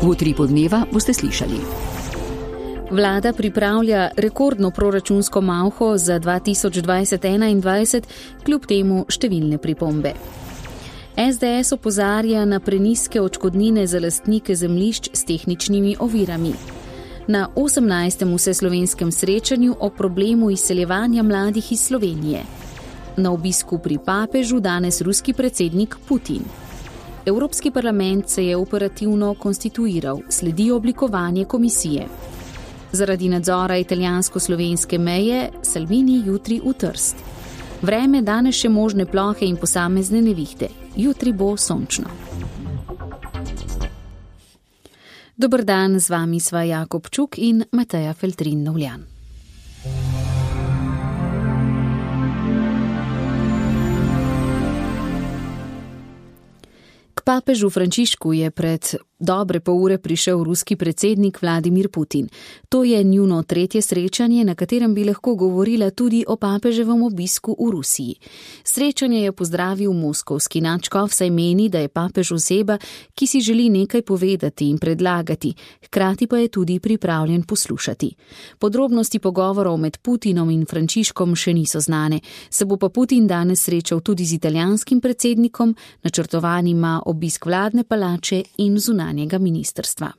V Utripu dneva boste slišali. Vlada pripravlja rekordno proračunsko malho za 2020-2021, kljub temu številne pripombe. SDS opozarja na prenizke odškodnine za lastnike zemljišč s tehničnimi ovirami. Na 18. vseslovenskem srečanju o problemu izseljevanja mladih iz Slovenije. Na obisku pri papežu danes ruski predsednik Putin. Evropski parlament se je operativno konstituiral, sledi oblikovanje komisije. Zaradi nadzora italijansko-slovenske meje Salvini jutri v Trst. Vreme danes še možne plohe in posamezne nevihte. Jutri bo sončno. Dober dan, z vami sva Jakob Čuk in Mateja Feltrin-Novljan. K papežu Frančišku je pred dobre pol ure prišel ruski predsednik Vladimir Putin. To je njuno tretje srečanje, na katerem bi lahko govorila tudi o papeževem obisku v Rusiji. Srečanje je pozdravil moskovski nadškof, saj meni, da je papež oseba, ki si želi nekaj povedati in predlagati, hkrati pa je tudi pripravljen poslušati. Podrobnosti pogovorov med Putinom in Frančiškom še niso znane. Se bo pa Putin danes srečal tudi z italijanskim predsednikom, načrtovan ima obisk vladne palače in zunanjega ministrstva.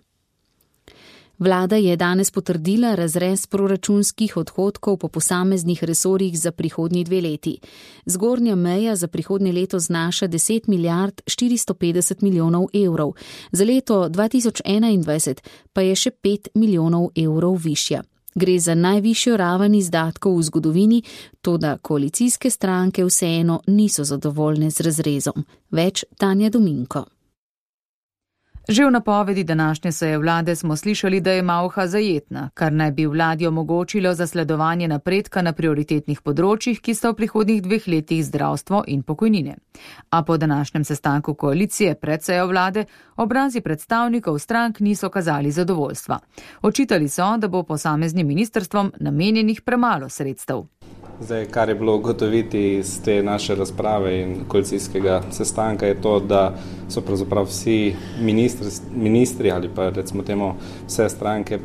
Vlada je danes potrdila razrez proračunskih odhodkov po posameznih resorjih za prihodnji 2 leti. Zgornja meja za prihodnje leto znaša 10 milijard 450 milijonov evrov, za leto 2021 pa je še 5 milijonov evrov višja. Gre za najvišjo raven izdatkov v zgodovini, toda koalicijske stranke vseeno niso zadovoljne z razrezom. Več Tanja Dominko. Že v napovedi današnje seje vlade smo slišali, da je malha zajetna, kar naj bi vladi omogočilo zasledovanje napredka na prioritetnih področjih, ki sta v prihodnjih 2 letih zdravstvo in pokojnine. A po današnjem sestanku koalicije pred sejo vlade obrazi predstavnikov strank niso kazali zadovoljstva. Očitali so, da bo posameznim ministrstvom namenjenih premalo sredstev. Zdaj, kar je bilo ugotoviti iz te naše razprave in koalicijskega sestanka, je to, da so pravzaprav vsi ministri ali pa recimo temu vse stranke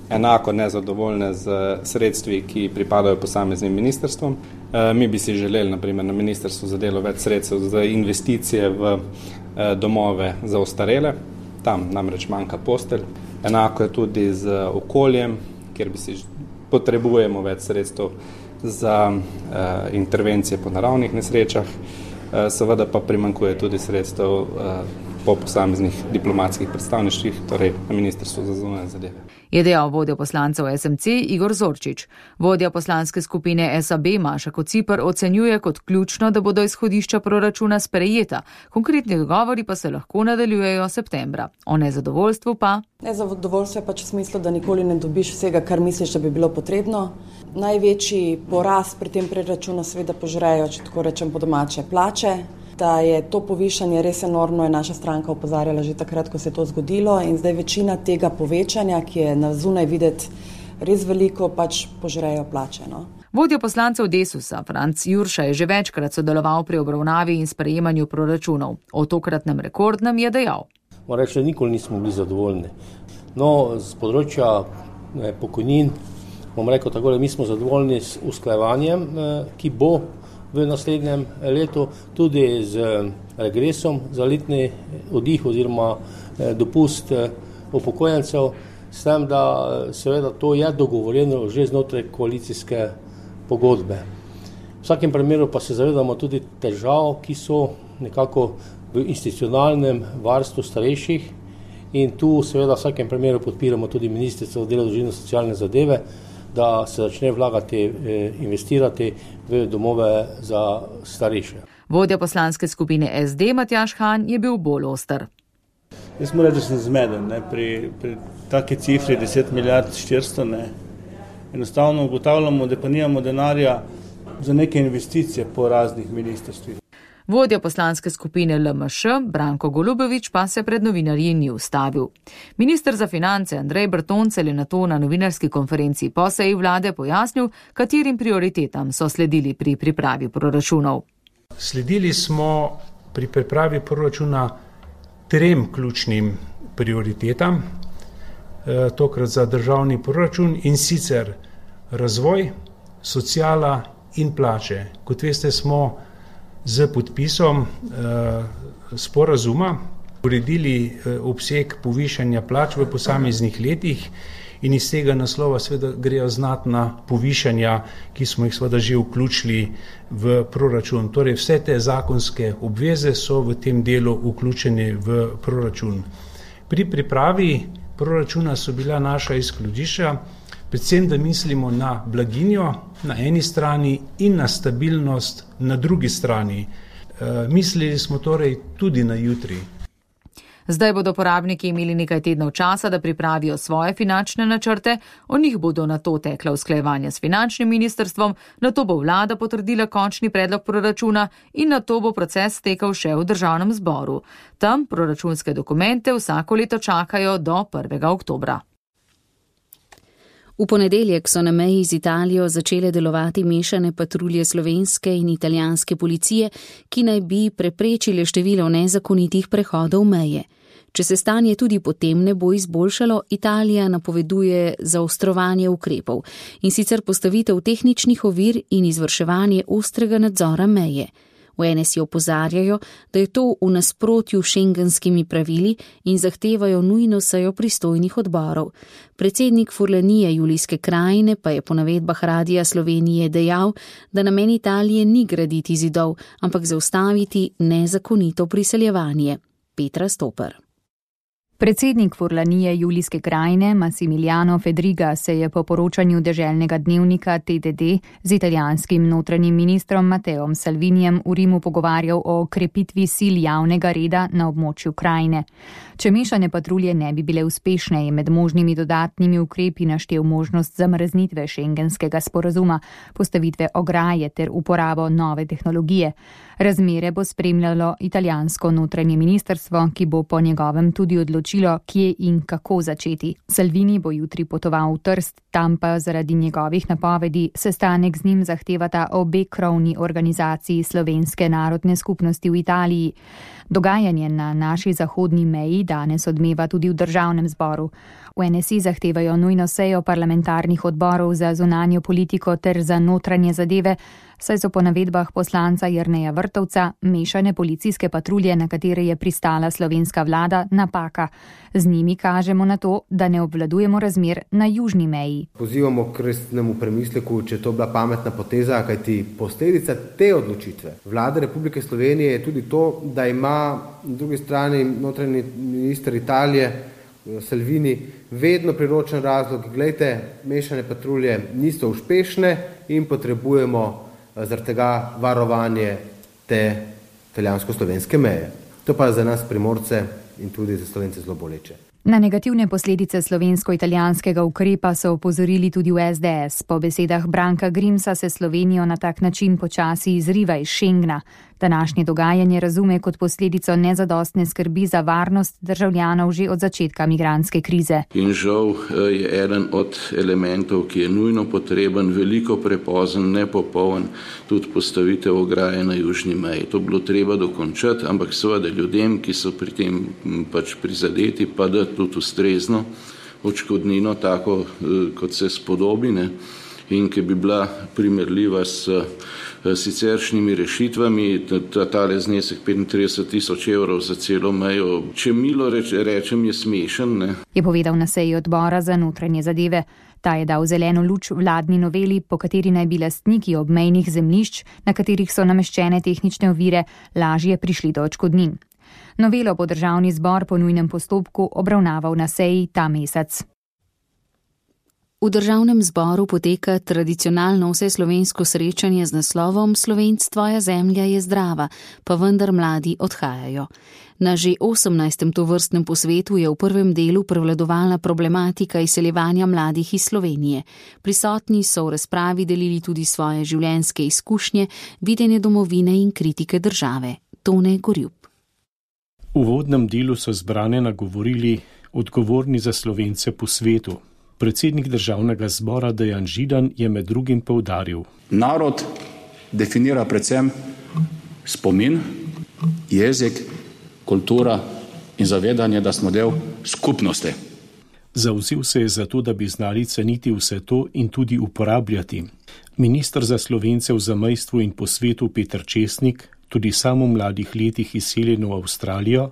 enako nezadovoljne z sredstvi, ki pripadajo posameznim ministrstvom. Mi bi si želeli, naprimer, na ministrstvu za delo več sredstev za investicije v domove za ostarele, tam namreč manjka postelj. Enako je tudi z okoljem, kjer bi si potrebujemo več sredstev za intervencije po naravnih nesrečah, seveda pa primanjkuje tudi sredstev po posameznih diplomatskih predstavništvih, torej na Ministrstvu za zunanje zadeve. Je dejal vodja poslancev SMC Igor Zorčič. Vodja poslanske skupine SAB Maša Kociper ocenjuje kot ključno, da bodo izhodišča proračuna sprejeta. Konkretni dogovori pa se lahko nadaljujejo septembra. O nezadovoljstvu pa? Nezadovoljstvo je pač v smislu, da nikoli ne dobiš vsega, kar misliš, da bi bilo potrebno. Največji porast pri tem proračunu seveda požrejo, če tako rečem po domače, plače. Da je to povišanje res enormno, je naša stranka opozarjala že takrat, ko se je to zgodilo, in zdaj večina tega povečanja, ki je na zunaj videti res veliko, pač požrejo plače. No? Vodja poslancev Desusa Franc Jurša je že večkrat sodeloval pri obravnavi in sprejemanju proračunov. O tokratnem rekordnem je dejal. Moram reči, da nikoli nismo bili zadovoljni. No, z področja pokojnin, bom rekel tako, da mi smo zadovoljni s usklajevanjem, ki bo v naslednjem letu, tudi z regresom za letni oddih oziroma dopust upokojencev, s tem, da seveda to je dogovorjeno že znotraj koalicijske pogodbe. V vsakem primeru pa se zavedamo tudi težav, ki so nekako v institucionalnem varstvu starejših, in tu seveda v vsakem primeru podpiramo tudi Ministrstvo za delo, družino in socialne zadeve, da se začne vlagati, investirati v domove za starejše. Vodja poslanske skupine SD Matjaž Han je bil bolj oster. Jaz moram reči, da sem zmeden, pri taki cifri 10 milijard 400, enostavno ugotavljamo, da pa nimamo denarja za neke investicije po raznih ministrstvih. Vodja poslanske skupine LMŠ, Branko Golubović, pa se pred novinarji ni ustavil. Minister za finance Andrej Bertoncelj je nato na novinarski konferenci po seji vlade pojasnil, katerim prioritetam so sledili pri pripravi proračunov. Sledili smo pri pripravi proračuna 3 ključnim prioritetam, tokrat za državni proračun, in sicer razvoj, sociala in plače. Kot veste, smo z podpisom sporazuma uredili obseg povišanja plač v posameznih letih in iz tega naslova seveda grejo znatna povišanja, ki smo jih seveda že vključili v proračun. Torej vse te zakonske obveze so v tem delu vključene v proračun. Pri pripravi proračuna so bila naša izhodišča, predvsem da mislimo na blaginjo na eni strani in na stabilnost na drugi strani. Mislili smo torej tudi na jutri. Zdaj bodo porabniki imeli nekaj tednov časa, da pripravijo svoje finančne načrte, o njih bodo nato tekla usklajevanja s finančnim ministrstvom, nato bo vlada potrdila končni predlog proračuna in nato bo proces tekel še v državnem zboru. Tam proračunske dokumente vsako leto čakajo do 1. oktobra. V ponedeljek so na meji z Italijo začele delovati mešane patrulje slovenske in italijanske policije, ki naj bi preprečile število nezakonitih prehodov meje. Če se stanje tudi potem ne bo izboljšalo, Italija napoveduje zaostrovanje ukrepov, in sicer postavitev tehničnih ovir in izvrševanje ostrega nadzora meje. V NSI opozarjajo, da je to v nasprotju s šengenskimi pravili in zahtevajo nujno sejo pristojnih odborov. Predsednik Furlanije Julijske krajine pa je po navedbah Radia Slovenije dejal, da namen Italije ni graditi zidov, ampak zaustaviti nezakonito priseljevanje. Petra Stoper. Predsednik Furlanije Julijske krajine Massimiliano Fedriga se je po poročanju deželnega dnevnika TDD z italijanskim notranjim ministrom Matteom Salvinijem v Rimu pogovarjal o krepitvi sil javnega reda na območju krajine. Če mešane patrulje ne bi bile uspešne, je med možnimi dodatnimi ukrepi naštel možnost zamrznitve šengenskega sporazuma, postavitve ograje ter uporabo nove tehnologije. Razmere bo spremljalo italijansko notranje ministrstvo, ki bo po njegovem tudi odločilo, kje in kako začeti. Salvini bo jutri potoval v Trst, tam pa zaradi njegovih napovedi sestanek z njim zahtevata obe krovni organizaciji slovenske narodne skupnosti v Italiji. Dogajanje na naši zahodni meji danes odmeva tudi v državnem zboru. V NSI zahtevajo nujno sejo parlamentarnih odborov za zunanjo politiko ter za notranje zadeve, saj so po navedbah poslanca Jerneja Vrtovca mešane policijske patrulje, na katere je pristala slovenska vlada, napaka. Z njimi kažemo na to, da ne obvladujemo razmer na južni meji. Pozivamo k resnemu premisleku, če to bila pametna poteza, kajti posledica te odločitve vlade Republike Slovenije je tudi to, da ima na drugi strani notranji minister Italije Salvini vedno priročen razlog, glejte, mešane patrulje niso uspešne in potrebujemo zaradi tega varovanje te italijansko-slovenske meje. To pa za nas Primorce in tudi za Slovence zelo boleče. Na negativne posledice slovensko-italijanskega ukrepa so opozorili tudi v SDS. Po besedah Branka Grimsa se Slovenijo na tak način počasi izriva iz Schengna. Današnje dogajanje razume kot posledico nezadostne skrbi za varnost državljanov že od začetka migrantske krize. In žal je eden od elementov, ki je nujno potreben, veliko prepozen, nepopoln, tudi postavitev ograje na južni meji. To bilo treba dokončati, ampak seveda ljudem, ki so pri tem pač prizadeti, pa da tudi ustrezno odškodnino, tako kot se spodobi, ne? In ki bi bila primerljiva s siceršnjimi rešitvami, tale znesek 35.000 evrov za celo mejo, če milo rečem, je smešen. Ne? Je povedal na seji odbora za notranje zadeve. Ta je dal zeleno luč vladni noveli, po kateri naj bi lastniki obmejnih zemljišč, na katerih so nameščene tehnične ovire, lažje prišli do odškodnin. Novelo bo državni zbor po nujnem postopku obravnaval na seji ta mesec. V državnem zboru poteka tradicionalno vseslovensko srečanje z naslovom Slovenc, tvoja zemlja je zdrava, pa vendar mladi odhajajo. Na že 18. tovrstnem posvetu je v prvem delu prevladovala problematika izseljevanja mladih iz Slovenije. Prisotni so v razpravi delili tudi svoje življenjske izkušnje, videnje domovine in kritike države. Tone Gorjup. V uvodnem delu so zbrane nagovorili odgovorni za Slovence po svetu. Predsednik državnega zbora Dejan Židan je med drugim poudaril. Narod definira predvsem spomin, jezik, kultura in zavedanje, da smo del skupnosti. Zavzel se je za to, da bi znali ceniti vse to in tudi uporabljati. Minister za Slovence v zamejstvu in po svetu Peter Česnik, tudi sam v mladih letih izseljen v Avstralijo,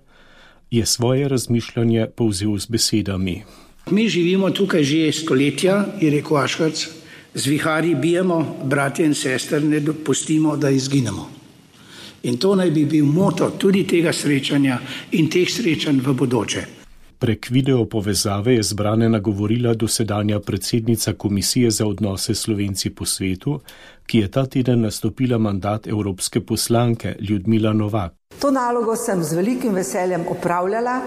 je svoje razmišljanje povzel z besedami. Mi živimo tukaj že stoletja, je rekel Ashworth, z viharji bijemo, bratje in sestre, ne dopustimo, da izginemo. In to naj bi bil moto tudi tega srečanja in teh srečanj v bodoče. Prek video povezave je zbrane nagovorila dosedanja predsednica Komisije za odnose Slovenci po svetu, ki je ta teden nastopila mandat evropske poslanke Ljudmila Novak. To nalogo sem z velikim veseljem opravljala,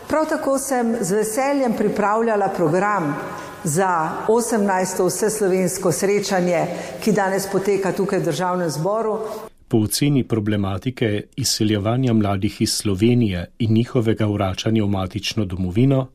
prav tako sem z veseljem pripravljala program za 18. vseslovensko srečanje, ki danes poteka tukaj v Državnem zboru. Po oceni problematike izseljevanja mladih iz Slovenije in njihovega vračanja v matično domovino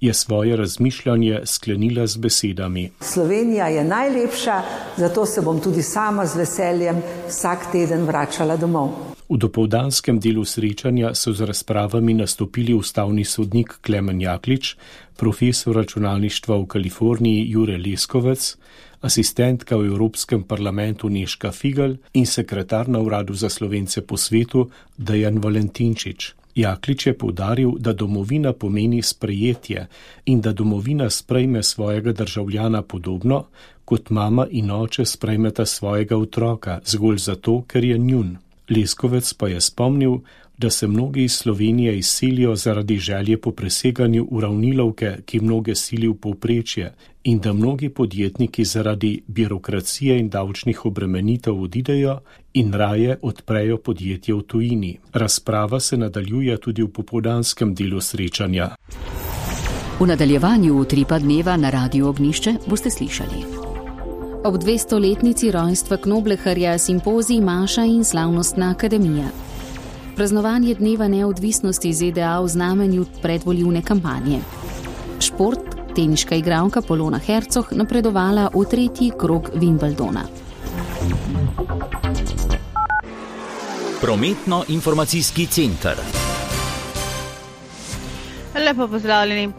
je svoje razmišljanje sklenila z besedami. Slovenija je najlepša, zato se bom tudi sama z veseljem vsak teden vračala domov. V dopoldanskem delu srečanja so z razpravami nastopili ustavni sodnik Klemen Jaklič, profesor računalništva v Kaliforniji Jure Leskovec, asistentka v Evropskem parlamentu Nežka Figl in sekretar na Uradu za Slovence po svetu Dejan Valentinčič. Jaklič je poudaril, da domovina pomeni sprejetje in da domovina sprejme svojega državljana podobno, kot mama in oče sprejmeta svojega otroka, zgolj zato, ker je njun. Leskovec pa je spomnil, da se mnogi iz Slovenije izselijo zaradi želje po preseganju uravnilovke, ki mnoge sili v povprečje, in da mnogi podjetniki zaradi birokracije in davčnih obremenitev odidejo in raje odprejo podjetje v tujini. Razprava se nadaljuje tudi v popoldanskem delu srečanja. V nadaljevanju utripa dneva na Radiu Ognjišče boste slišali. Ob 200-letnici rojstva Knobleharja simpozij Maša in slavnostna akademija. Praznovanje dneva neodvisnosti ZDA v znamenju predvoljivne kampanje. Šport, teniška igralka Polona Hercog napredovala v 3. krog Wimbledona. Prometno-informacijski center. Lepo pozdravljeni.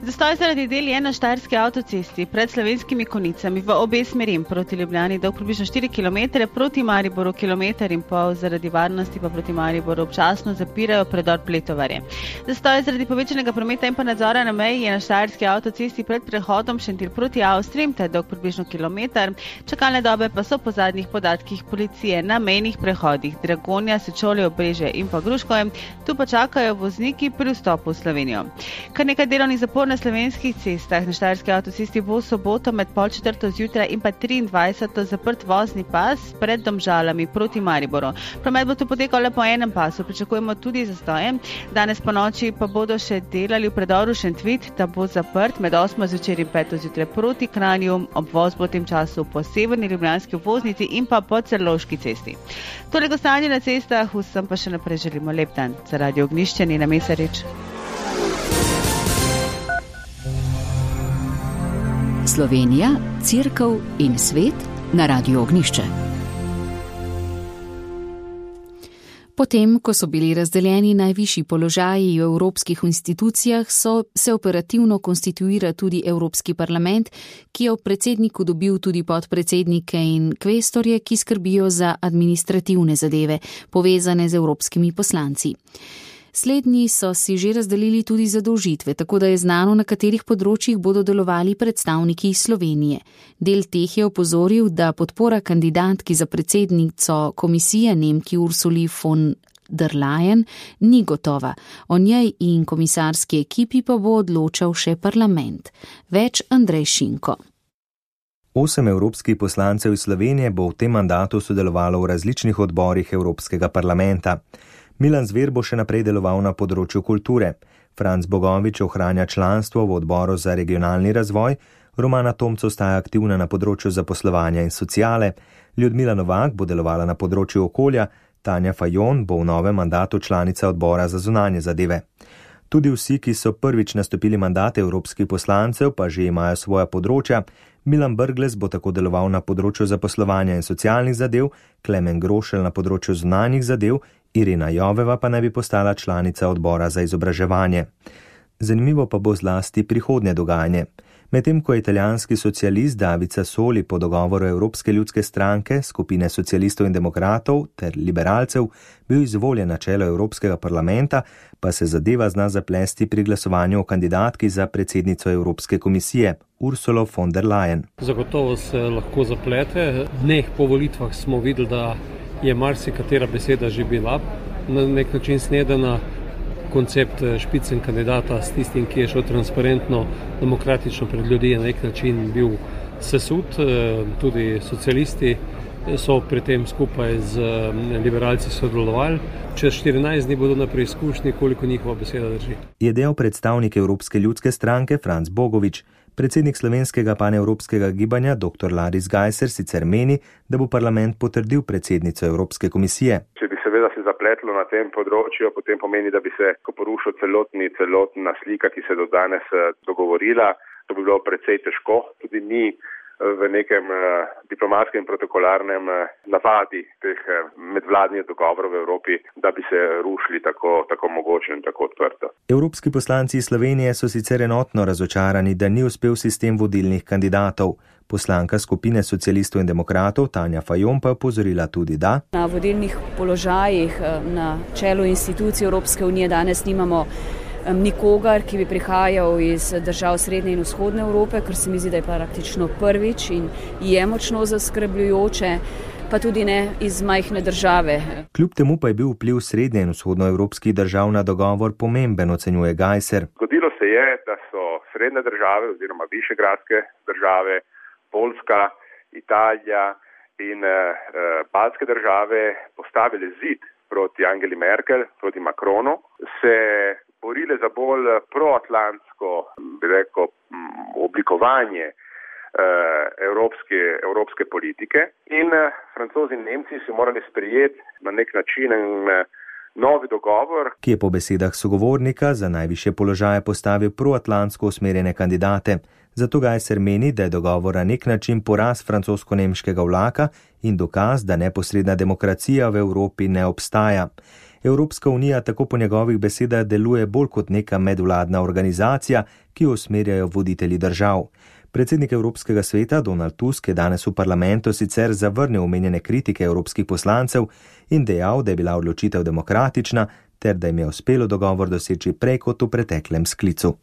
Zastoj zaradi del je na Štajerski avtocesti pred Slovenskimi Konicami v obe smeri proti Ljubljani dolg približno 4 km, proti Mariboru 1,5 km, zaradi varnosti pa proti Mariboru občasno zapirajo predor Pletovarje. Zastoj zaradi povečanega prometa in pa nadzora na meji je na Štajerski avtocesti pred prehodom Šentilj proti Avstriji, ta je dolg približno kilometer. Čakalne dobe pa so po zadnjih podatkih policije na mejnih prehodih Dragonja, Sečovlje, Obrežje in pa Gruškovje. Tu pa čakajo vozniki pri vstopu v Slovenijo. Kar nekaj delovnih zapor na slovenskih cestah. Na Štajerski avtocesti bo v soboto med 3:30 zjutraj in pa 23. zaprt vozni pas pred Domžalami proti Mariboru. Promet bo tu potekal le po enem pasu, pričakujemo tudi zastoje. Danes po noči pa bodo še delali v predoru Šentvit, ta bo zaprt med 8. zvečer in 5. zjutraj proti Kranju. Obvoz bo v tem času po severni ljubljanski obvoznici in pa po Celovški cesti. Toliko stanje na cestah, vsem pa še naprej želimo lep dan. Za Radio Ognjišče, Nina Mesarič. Slovenija, Cerkev in svet na Radiu Ognjišče. Potem, ko so bili razdeljeni najvišji položaji v evropskih institucijah, se operativno konstituira tudi Evropski parlament, ki je v predsedniku dobil tudi podpredsednike in kvestorje, ki skrbijo za administrativne zadeve, povezane z evropskimi poslanci. Slednji so si že razdelili tudi zadolžitve, tako da je znano, na katerih področjih bodo delovali predstavniki Slovenije. Del teh je opozoril, da podpora kandidatki za predsednico komisije Nemki Ursuli von der Leyen ni gotova. O njej in komisarski ekipi pa bo odločal še parlament. Več Andrej Šinko. 8 evropskih poslancev iz Slovenije bo v tem mandatu sodelovalo v različnih odborih Evropskega parlamenta. Milan Zver bo še naprej deloval na področju kulture, Franc Bogovič ohranja članstvo v odboru za regionalni razvoj, Romana Tomc ostaja aktivna na področju zaposlovanja in sociale, Ljudmila Novak bo delovala na področju okolja, Tanja Fajon bo v novem mandatu članica odbora za zunanje zadeve. Tudi vsi, ki so prvič nastopili mandate evropskih poslancev, pa že imajo svoja področja. Milan Brglez bo tako deloval na področju zaposlovanja in socialnih zadev, Klemen Grošelj na področju zunanjih zadev, Irina Joveva pa naj bi postala članica odbora za izobraževanje. Zanimivo pa bo zlasti prihodnje dogajanje. Medtem ko je italijanski socialist David Sassoli po dogovoru Evropske ljudske stranke, skupine socialistov in demokratov ter liberalcev bil izvoljen na čelo Evropskega parlamenta, pa se zadeva zna zaplesti pri glasovanju o kandidatki za predsednico Evropske komisije, Ursulo von der Leyen. Zagotovo se lahko zaplete. Dneh po volitvah smo videli, da je marsikatera beseda že bila na nek način snedena. Koncept špicen kandidata s tistim, ki je šel transparentno, demokratično pred ljudi, je na nek način bil sesut. Tudi socialisti so pri tem skupaj z liberalci sodelovali. Čez 14 dni bodo na preizkušnji, koliko njihova beseda drži. Je del predstavnik Evropske ljudske stranke Franc Bogovič. Predsednik slovenskega panevropskega gibanja dr. Laris Gajser sicer meni, da bo parlament potrdil predsednico Evropske komisije. Če bi seveda se zapletlo na tem področju, potem pomeni, da bi se porušil celotna slika, ki se je do danes dogovorila. To bi bilo precej težko. Tudi ni v nekem diplomatskem in protokolarnem navadi teh medvladnih dogovorov v Evropi, da bi se rušili tako mogoče in tako odprto. Evropski poslanci iz Slovenije so sicer enotno razočarani, da ni uspel sistem vodilnih kandidatov. Poslanka skupine socialistov in demokratov Tanja Fajon pa je opozorila tudi, da na vodilnih položajih na čelu institucij Evropske unije danes nimamo nikogar, ki bi prihajal iz držav srednje in vzhodne Evrope, kar se mi zdi, da je praktično prvič in je močno zaskrbljujoče, pa tudi ne iz majhne države. Kljub temu pa je bil vpliv srednje in vzhodnoevropskih držav na dogovor pomemben, ocenjuje Gajser. Zgodilo se je, da so srednje države oziroma višegradske države, Poljska, Italija in baltske države postavile zid proti Angeli Merkel, proti Macronu, se borile za bolj proatlantsko, bi rekel, oblikovanje evropske politike in Francozi in Nemci so morali sprejeti na nek način novi dogovor, ki je po besedah sogovornika za najvišje položaje postavil proatlantsko usmerjene kandidate. Zato Gajser meni, da je dogovor na nek način poraz francosko-nemškega vlaka in dokaz, da neposredna demokracija v Evropi ne obstaja. Evropska unija tako po njegovih besedah deluje bolj kot neka medvladna organizacija, ki jo usmerjajo voditelji držav. Predsednik Evropskega sveta Donald Tusk je danes v parlamentu sicer zavrnil omenjene kritike evropskih poslancev in dejal, da je bila odločitev demokratična ter da jim je uspelo dogovor doseči prej kot v preteklem sklicu.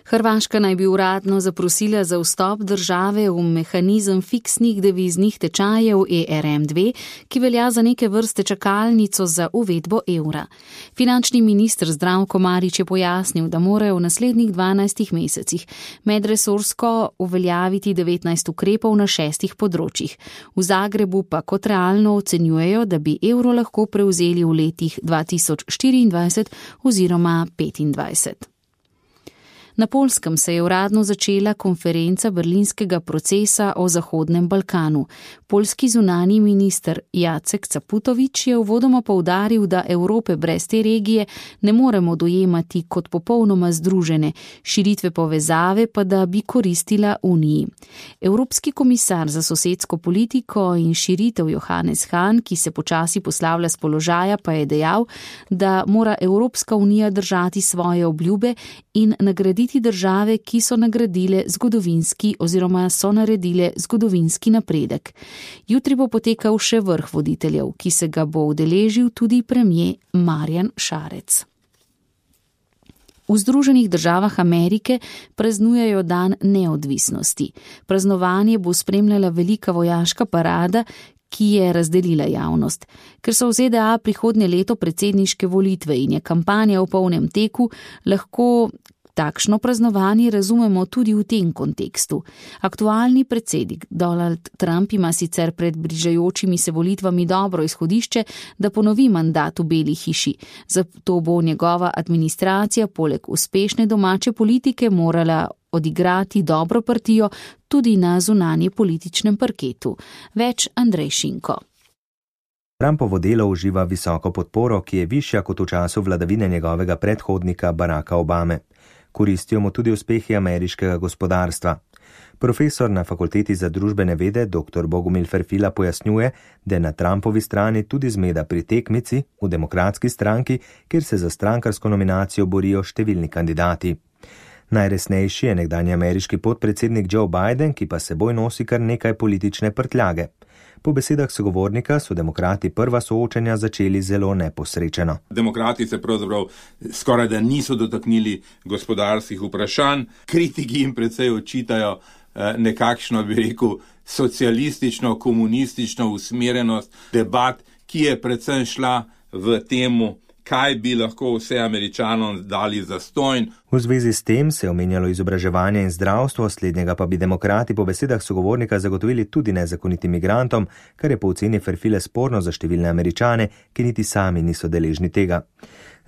Hrvaška naj bi uradno zaprosila za vstop države v mehanizem fiksnih deviznih tečajev ERM2, ki velja za neke vrste čakalnico za uvedbo evra. Finančni minister Zdravko Marić je pojasnil, da morajo v naslednjih 12 mesecih medresorsko uveljaviti 19 ukrepov na 6 področjih. V Zagrebu pa kot realno ocenjujejo, da bi evro lahko prevzeli v letih 2024 oziroma 2025. Na Poljskem se je uradno začela konferenca berlinskega procesa o Zahodnem Balkanu. Poljski zunanji minister Jacek Caputovič je uvodoma poudaril, da Evrope brez te regije ne moremo dojemati kot popolnoma združene, širitve povezave pa da bi koristila Uniji. Evropski komisar za sosedsko politiko in širitev Johannes Hahn, ki se počasi poslavlja s položaja, pa je dejal, da mora Evropska unija držati svoje obljube in nagraditi države, ki so nagradile zgodovinski oziroma so naredile zgodovinski napredek. Jutri bo potekal še vrh voditeljev, ki se ga bo udeležil tudi premier Marjan Šarec. V Združenih državah Amerike praznujejo dan neodvisnosti. Praznovanje bo spremljala velika vojaška parada, ki je razdelila javnost. Ker so v ZDA prihodnje leto predsedniške volitve in je kampanja v polnem teku, lahko takšno praznovanje razumemo tudi v tem kontekstu. Aktualni predsednik Donald Trump ima sicer pred bližajočimi se volitvami dobro izhodišče, da ponovi mandat v Beli hiši. Zato bo njegova administracija poleg uspešne domače politike morala odigrati dobro partijo tudi na zunanje političnem parketu. Več Andrej Šinko. Trumpovo delo uživa visoko podporo, ki je višja kot v času vladavine njegovega predhodnika Baracka Obame. Koristijo mu tudi uspehi ameriškega gospodarstva. Profesor na Fakulteti za družbene vede dr. Bogomil Ferfila pojasnjuje, da je na Trumpovi strani tudi zmeda pri tekmici v Demokratski stranki, kjer se za strankarsko nominacijo borijo številni kandidati. Najresnejši je nekdanji ameriški podpredsednik Joe Biden, ki pa seboj nosi kar nekaj politične prtljage. Po besedah sogovornika so demokrati prva soočenja začeli zelo neposrečeno. Demokrati se pravzaprav skoraj da niso dotaknili gospodarskih vprašanj, kritiki jim precej očitajo nekakšno, bi rekel, socialistično, komunistično usmerjenost debat, ki je predvsem šla v temu, kaj bi lahko vse Američanom dali zastonj. V zvezi s tem se je omenjalo izobraževanje in zdravstvo, slednjega pa bi demokrati po besedah sogovornika zagotovili tudi nezakonitim migrantom, kar je po oceni Ferfile sporno za številne Američane, ki niti sami niso deležni tega.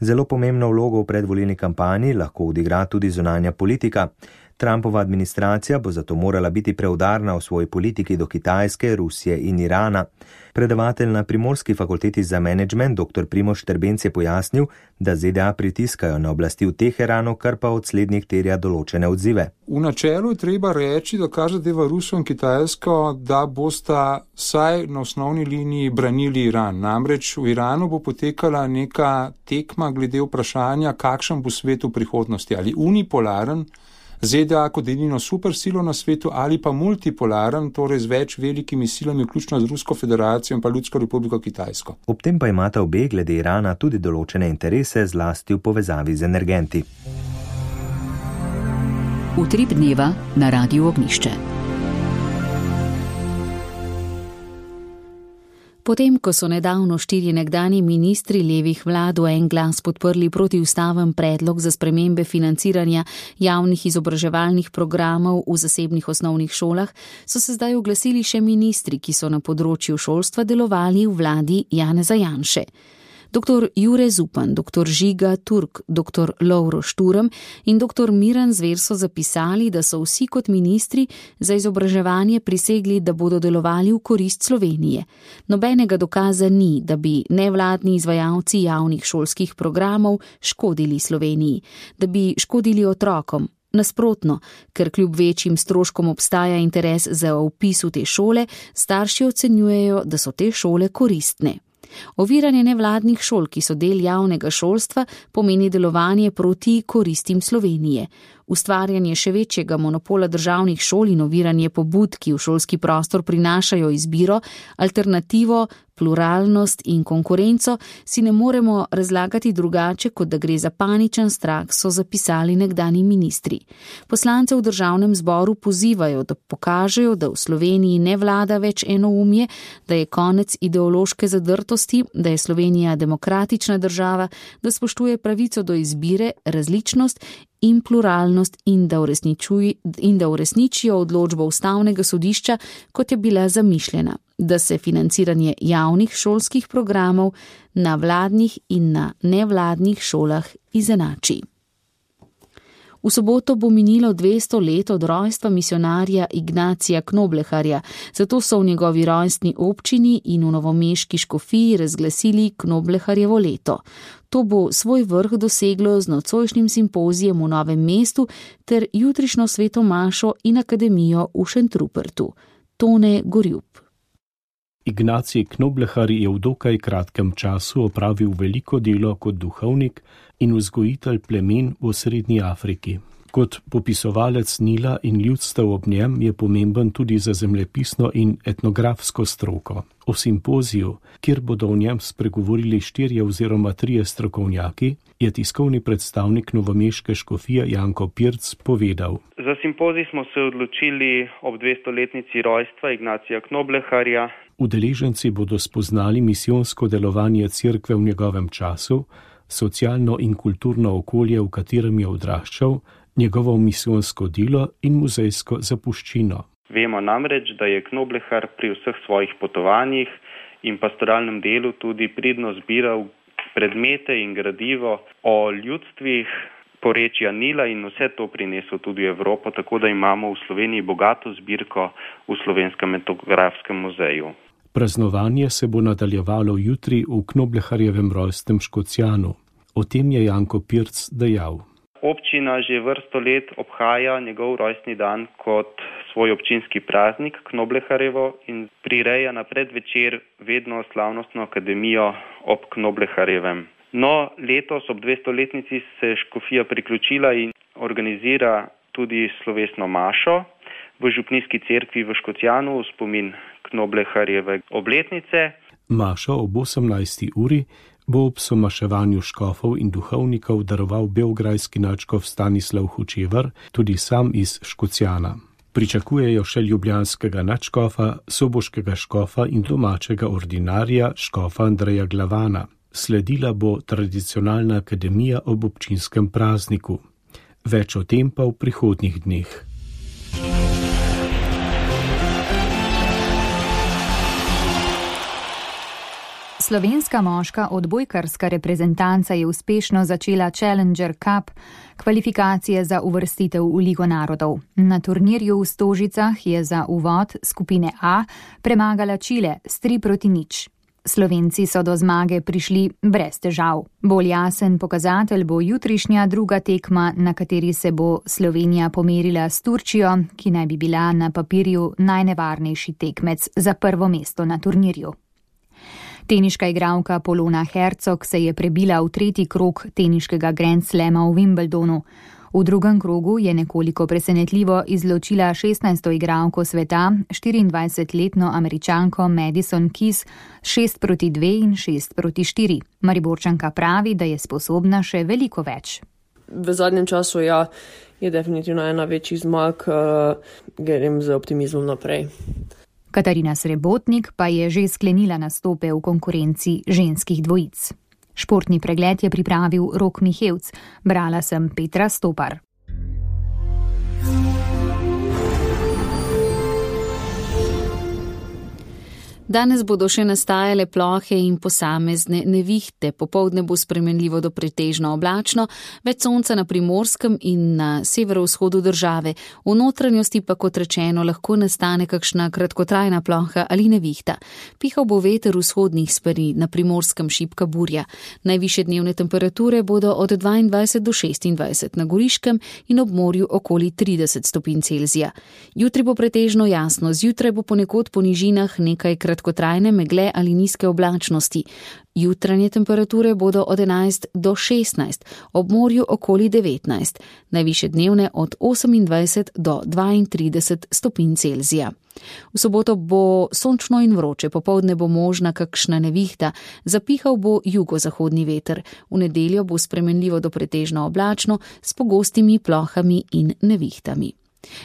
Zelo pomembno vlogo v predvolilni kampanji lahko odigra tudi zunanja politika. Trumpova administracija bo zato morala biti preudarna v svoji politiki do Kitajske, Rusije in Irana. Predavatelj na Primorski fakulteti za menedžment dr. Primož Štrbenc je pojasnil, da ZDA pritiskajo na oblasti v Teheranu, kar pa od slednjih terja določene odzive. V načelu je treba reči, da kar zadeva Rusijo in Kitajsko, da bosta vsaj na osnovni liniji branili Iran. Namreč v Iranu bo potekala neka tekma glede vprašanja, kakšen bo svet v prihodnosti, ali unipolaren, ZDA kot edino supersilo na svetu ali pa multipolaren, torej z več velikimi silami, vključno z Rusko federacijo in pa Ljudsko republiko Kitajsko. Ob tem pa imata obe glede Irana tudi določene interese, zlasti v povezavi z energenti. Utrip dneva na Radiu Ognišče. Potem, ko so nedavno 4 nekdanji ministri levih vlad v en glas podprli protiustaven predlog za spremembe financiranja javnih izobraževalnih programov v zasebnih osnovnih šolah, so se zdaj oglasili še ministri, ki so na področju šolstva delovali v vladi Janeza Janše. Dr. Jure Zupan, dr. Žiga Turk, dr. Lovro Šturm in dr. Miran Zver so zapisali, da so vsi kot ministri za izobraževanje prisegli, da bodo delovali v korist Slovenije. Nobenega dokaza ni, da bi nevladni izvajalci javnih šolskih programov škodili Sloveniji, da bi škodili otrokom. Nasprotno, ker kljub večjim stroškom obstaja interes za vpis v te šole, starši ocenjujejo, da so te šole koristne. Oviranje nevladnih šol, ki so del javnega šolstva, pomeni delovanje proti koristim Slovenije. Ustvarjanje še večjega monopola državnih šol in oviranje pobud, ki v šolski prostor prinašajo izbiro, alternativo, pluralnost in konkurenco, si ne moremo razlagati drugače, kot da gre za paničen strah, so zapisali nekdanji ministri. Poslance v državnem zboru pozivajo, da pokažejo, da v Sloveniji ne vlada več enoumje, da je konec ideološke zadrtosti, da je Slovenija demokratična država, da spoštuje pravico do izbire, različnost in pluralnost in da uresničijo odločbo Ustavnega sodišča, kot je bila zamišljena, da se financiranje javnih šolskih programov na vladnih in na nevladnih šolah izenači. V soboto bo minilo 200 let od rojstva misionarja Ignacija Knobleharja, zato so v njegovi rojstni občini in v novomeški škofiji razglasili Knobleharjevo leto. To bo svoj vrh doseglo z nocojšnjim simpozijem v Novem mestu ter jutrišnjo sveto mašo in akademijo v Šentrupertu. Tone Gorjub. Ignacij Knoblehar je v dokaj kratkem času opravil veliko delo kot duhovnik in vzgojitelj plemen v Srednji Afriki. Kot popisovalec Nila in ljudstev ob njem je pomemben tudi za zemljepisno in etnografsko stroko. O simpoziju, kjer bodo o njem spregovorili 4 oziroma 3 strokovnjaki, je tiskovni predstavnik novomeške škofije Janko Pirc povedal. Za simpozij smo se odločili ob 200-letnici rojstva Ignacija Knobleharja. Udeleženci bodo spoznali misijonsko delovanje cerkve v njegovem času, socialno in kulturno okolje, v katerem je odraščal, njegovo misijonsko delo in muzejsko zapuščino. Vemo namreč, da je Knoblehar pri vseh svojih potovanjih in pastoralnem delu tudi pridno zbiral predmete in gradivo o ljudstvih porečja Nila in vse to prinesel tudi v Evropo, tako da imamo v Sloveniji bogato zbirko v Slovenskem etnografskem muzeju. Praznovanje se bo nadaljevalo jutri v Knobleharjevem rojstnem Škocjanu. O tem je Janko Pirc dejal. Občina že vrsto let obhaja njegov rojstni dan kot svoj občinski praznik Knobleharjevo in prireja na predvečer vedno slavnostno akademijo ob Knobleharjevem. No, letos ob 200-letnici se škofija priključila in organizira tudi slovesno mašo v župnijski cerkvi v Škocjanu v spomin Knobleharjeve obletnice. Mašo ob 18. uri bo ob somaševanju škofov in duhovnikov daroval beograjski nadškof Stanislav Hočevar, tudi sam iz Škocjana. Pričakujejo še ljubljanskega nadškofa, soboškega škofa in domačega ordinarja škofa Andreja Glavana. Sledila bo tradicionalna akademija ob občinskem prazniku. Več o tem pa v prihodnjih dneh. Slovenska moška odbojkarska reprezentanca je uspešno začela Challenger Cup, kvalifikacije za uvrstitev v Ligo narodov. Na turnirju v Stožicah je za uvod skupine A premagala Čile s 3-0. Slovenci so do zmage prišli brez težav. Bolj jasen pokazatelj bo jutrišnja druga tekma, na kateri se bo Slovenija pomerila s Turčijo, ki naj bi bila na papirju najnevarnejši tekmec za prvo mesto na turnirju. Teniška igralka Polona Hercog se je prebila v tretji krog teniškega Grand Slama v Wimbledonu. V drugem krogu je nekoliko presenetljivo izločila 16. igralko sveta, 24-letno Američanko Madison Keys, 6-2 in 6-4. Mariborčanka pravi, da je sposobna še veliko več. V zadnjem času je definitivno ena večjih zmag, grem z optimizmom naprej. Katarina Srebotnik pa je že sklenila nastope v konkurenci ženskih dvojic. Športni pregled je pripravil Rok Mihevc, brala sem Petra Stopar. Danes bodo še nastajale plohe in posamezne nevihte. Popoldne bo spremenljivo do pretežno oblačno, več sonca na Primorskem in na severovzhodu države. V notranjosti pa, kot rečeno, lahko nastane kakšna kratkotrajna ploha ali nevihta. Pihal bo veter vzhodnih smeri, na Primorskem šibka burja. Najvišje dnevne temperature bodo od 22 do 26 na Goriškem in ob morju okoli 30 stopinj Celzija. Jutri bo pretežno jasno, zjutraj bo ponekod po nižinah nekaj kratkotrajne megle ali nizke oblačnosti. Jutranje temperature bodo od 11 do 16, ob morju okoli 19, najvišje dnevne od 28 do 32 stopinj Celzija. V soboto bo sončno in vroče, popoldne bo možna kakšna nevihta, zapihal bo jugozahodni veter. V nedeljo bo spremenljivo do pretežno oblačno s pogostimi plohami in nevihtami.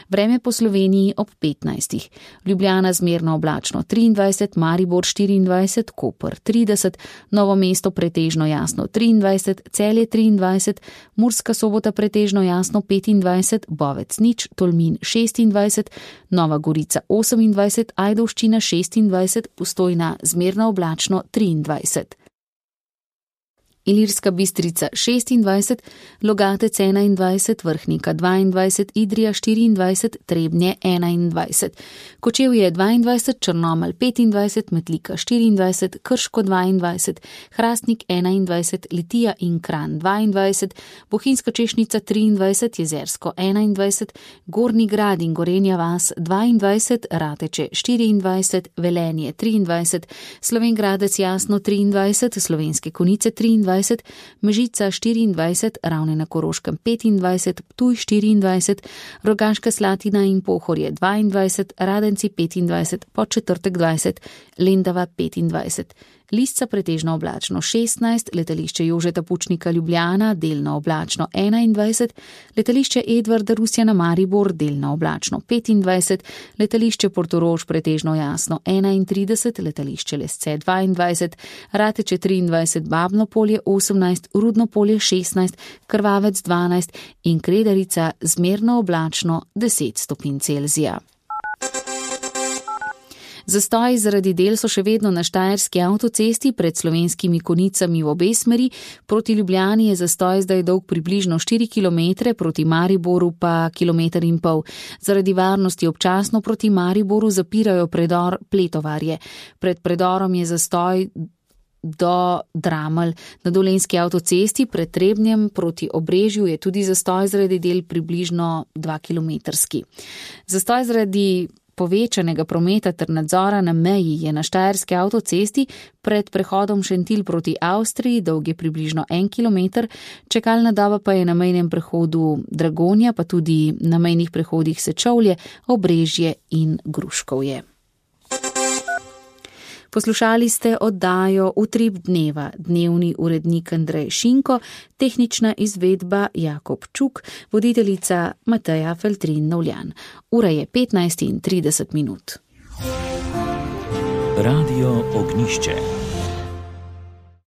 Vreme po Sloveniji ob 15. Ljubljana zmerno oblačno 23, Maribor 24, Koper 30, Novo mesto pretežno jasno 23, Celje 23, Murska Sobota pretežno jasno 25, Bovec nič, Tolmin 26, Nova Gorica 28, Ajdovščina 26, Postojna zmerno oblačno 23. Ilirska Bistrica 26, Logatec 21, Vrhnika 22, Idrija 24, Trebnje 21, Kočevje 22, Črnomelj 25, Metlika 24, Krško 22, Hrastnik 21, Litija in Kranj 22, Bohinjska Češnica 23, Jezersko 21, Gornji Grad in Gorenja vas 22, Rateče 24, Velenje 23, Slovenj Jasno 23, Slovenske Konjice 23, Mežica 24, Ravne na Koroškem 25, Ptuj 24, Rogaška Slatina in Pohorje 22, Radenci 25, Podčetrtek 20, Lendava 25. Lisca pretežno oblačno 16, letališče Jožeta Pučnika Ljubljana delno oblačno 21, letališče Edvarda Rusjana Maribor delno oblačno 25, letališče Portorož pretežno jasno 31, letališče Lesce 22, Rateče 23, Babno polje 18, Rudno polje 16, Krvavec 12 in Kredarica zmerno oblačno 10 stopinj Celzija. Zastoji zaradi del so še vedno na Štajerski avtocesti pred Slovenskimi Konjicami v obe smeri. Proti Ljubljani je zastoj zdaj dolg približno 4 km, proti Mariboru pa 1,5 km. Zaradi varnosti občasno proti Mariboru zapirajo predor Pletovarje. Pred predorom je zastoj do Dramelj. Na Dolenjski avtocesti pred Trebnjem proti Obrežju je tudi zastoj zaradi del približno 2 kilometrski. Zastoj zaradi povečanega prometa ter nadzora na meji je na Štajerski avtocesti pred prehodom Šentilj proti Avstriji, dolg je približno 1 kilometer, čakalna doba pa je na mejnem prehodu Dragonja, pa tudi na mejnih prehodih Sečovlje, Obrežje in Gruškovje. Poslušali ste oddajo Utrip dneva, dnevni urednik Andrej Šinko, tehnična izvedba Jakob Čuk, voditeljica Mateja Feltrin-Novljan. Ura je 15:30. Radio Ognjišče.